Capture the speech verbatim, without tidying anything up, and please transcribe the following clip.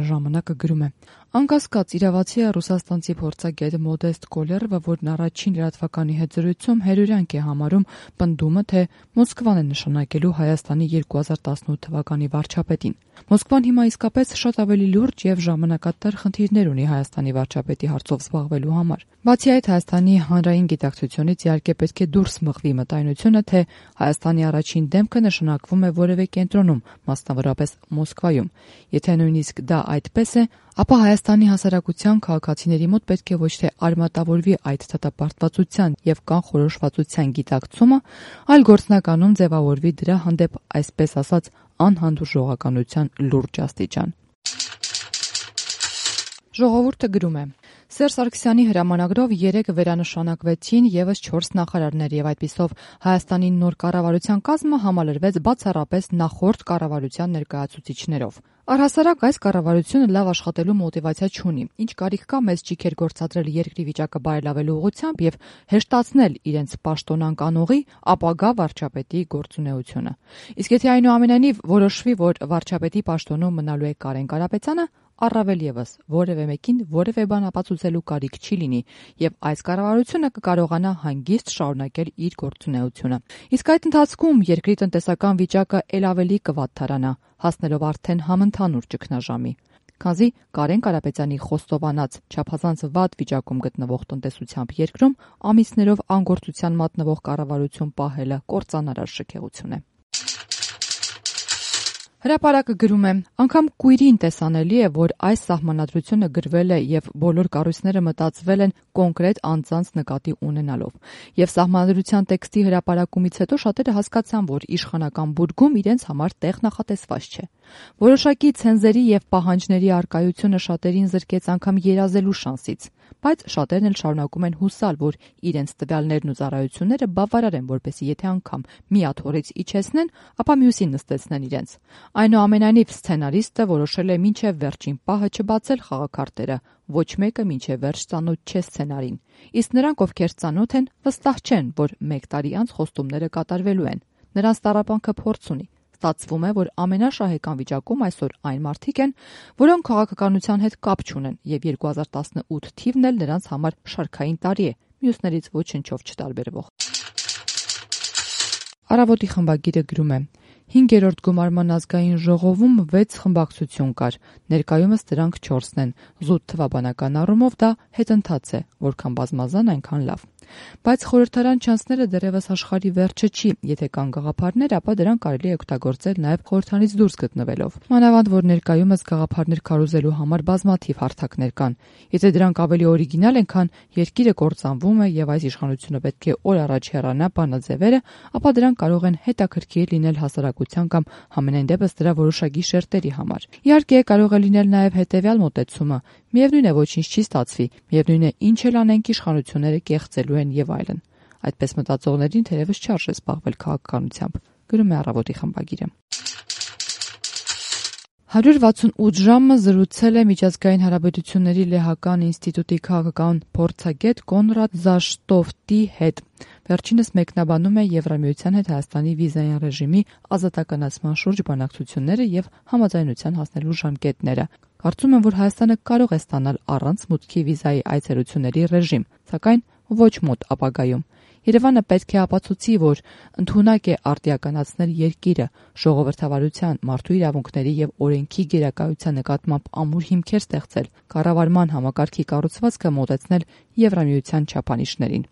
ժամանակը գրում է. Անկասկած իրավացի է ռուսաստանցի փորձագետ Մոդեստ Կոլերովը, որն առաջին լրատվականի հետ զրույցում հետևանք է համարում պնդումը, թե Մոսկվան է նշանակելու Հայաստանի երկու հազար տասնութ թվականի վարչապետին։ Մոսկվան հիմա իսկապես շատ ավելի լուրջ եւ ժամանակատար խնդիրներ ունի Հայաստանի վարչապետի հարցով զբաղվելու համար։ Բացի այդ, Հայաստանի հանրային գիտակցությունից իհարկե պետք է դուրս մղվի մտայնությունը, թե Հայաստանի առաջին դեմքը նշանակվում է որևէ կենտրոնում, մասնավորապես Մոսկվայում։ Եթե նույնիսկ դա այդպես է, ապա Հայաստանի հասարակության քաղաքացիների մոտ պետք է ոչ թե արմատավորվի այդ դատապարտվածության եւ կանխորոշվածության գիտակցումը, այլ գործնականում ձևավորվի դրա հանդեպ, այսպես ասած, անհանդուրժողականության լուրջ աստիճան։ Ժողովուրդը գրում է. Սերժ Սարգսյանի հրամանագրով երեկ վերանշանակվեցին եւս չորս նախարարներ եւ այդպիսով Հայաստանի նոր կառավարության կազմը համալրվեց բացառապես նախորդ կառավարության ներկայացուցիչներով։ Առհասարակ այս կառավարությունը լավ աշխատելու մոտիվացիա չունի, ինչ կարիք կա մեծ ճիգեր գործադրել երկրի վիճակը բարելավելու ուղղությամբ եւ հեշտացնել իրենց պաշտոնանկանողի ապագա վարչապետի գործունեությունը։ Իսկ եթե այնուամենայնիվ որոշվի, որ վարչապետի պաշտոնում մնալու է Կարեն Կարապետյանը, առավել եւս որևէ մեկին որևէ բան ապացուցելու կարիք չի լինի եւ այս կառավարությունը կկարողանա հանգիստ շարունակել իր գործունեությունը։ Իսկ այդ ընթացքում երկրի տնտեսական վիճակը ել ավելի կվատթարանա, հասնելով արդեն համընդհանուր ճգնաժամի։ Քանզի Կարեն Կարապետյանի խոստովանած չափազանց վատ վիճակում գտնվող տնտեսությամբ երկրում ամիսներով անգործության մատնվող կառավարություն պահելը կործանարար շքեղություն է։ Հրապարակը գրում է. անգամ կույրին տեսանելի է, որ այս սահմանադրությունը գրվել է եւ բոլոր կառույցները մտածվել են կոնկրետ անձանց նկատի ունենալով։ Եվ սահմանադրության տեքստի հրապարակումից հետո շատերը հասկացան, որ իշխանական բուրգում իրենց համար տեղ նախատեսված չէ։ Որոշակի ցենզերի եւ պահանջների արկայությունը շատերին զրկեց անգամ երազելու շանսից, բայց շատերն էլ շարունակում են հուսալ, որ իրենց տվյալներն ու ծառայությունները բավարար են, որպեսզի եթե անգամ մի աթոռից իջեցնեն, ապա մյուսին նստեցնեն իրենց։ Այնուամենայնիվ սցենարիստը որոշել է մինչև վերջին պահը չբացել խաղաքարտերը, ոչ մեկը մինչև վերջ ծանոթ չէ սցենարին, իսկ նրանք, ովքեր ծանոթ են, վստահ չեն, որ մեկ տարի անց խոստումները կատարվելու են։ Նրանց տառապանքը փորձ ունի։ Ստացվում է, որ ամենաշահեկան վիճակում այսօր այն մարդիկ են, որոնք քաղաքականության հետ կապ չունեն, եւ երկու հազար տասնութ թիվն էլ նրանց համար շարքային տարի է, մյուսներից ոչնչով չտարբերվող։ Առավոտի խմբագիրը գրում է. Հինգերորդ գումարման ազգային ժողովում վեց խմբակցություն կար, ներկայումս դրանք չորսն են, զուտ թվաբանական առումով դա հետընթաց է, որքան բազմազան այնքան լավ։ Բայց խորհրդարան չանցնելը դեռևս աշխարհի վերջը չի, եթե կան գաղափարներ, ապա դրանք կարելի է օգտագործել նաև խորհրդանից դուրս գտնվելով։ Մանավանդ որ ներկայումս գաղափարներ քարոզելու համար բազմաթիվ հարթակներ կան։ Եթե դրանք ավելի օրիգինալ են, քան երկիրը կործանվում է եւ այս իշխանությունը պետք է օր առաջ հեռանա բանաձևերը, ապա դրանք կարող են հետաքրքիր լինել հասարակության կամ համենայն դեպս դրա որոշակի շերտերի համար։ Իհարկե կարող է լինել նաև հետեւյալ մոտեցումը. միևնույն է ոչինչ չի ստացվի, միևնույն է ինչ էլ անենք իշխանությունները կեղծելու են եւ այլն։ Այդպես մտածողներին թերևս չարժե զբաղվել քաղաքականությամբ, գրում է Առավոտի խմբագիրը։ հարյուր վաթսունութ ժամը զրուցել է միջազգային հարաբերությունների լեհական ինստիտուտի քաղաքական փորձագետ Կոնրադ Զաշտոֆտի հետ։ Վերջինս մեկնաբանում է Եվրամիության հետ Հայաստանի վիզային ռեժիմի ազատականացման շուրջ բանակցությունները եւ համաձայնության հասնելու ժամկետները։ Կարծում եմ, որ Հայաստանը կարող է ստանալ առանց մուտքի վիզայի այցելությունների ռեժիմ, սակայն ոչ մոտ ապագայում։ Երևանը պետք է ապացուցի, որ ընդունակ է արդիականացնել երկիրը, ժողովրդավարության, մարդու իրավունքների եւ օրենքի գերակայության նկատմամբ ամուր հիմքեր ստեղծել, կառավարման համակարգի կառուցվածքը մոտեցնել Եվրամիության չափանիշներին։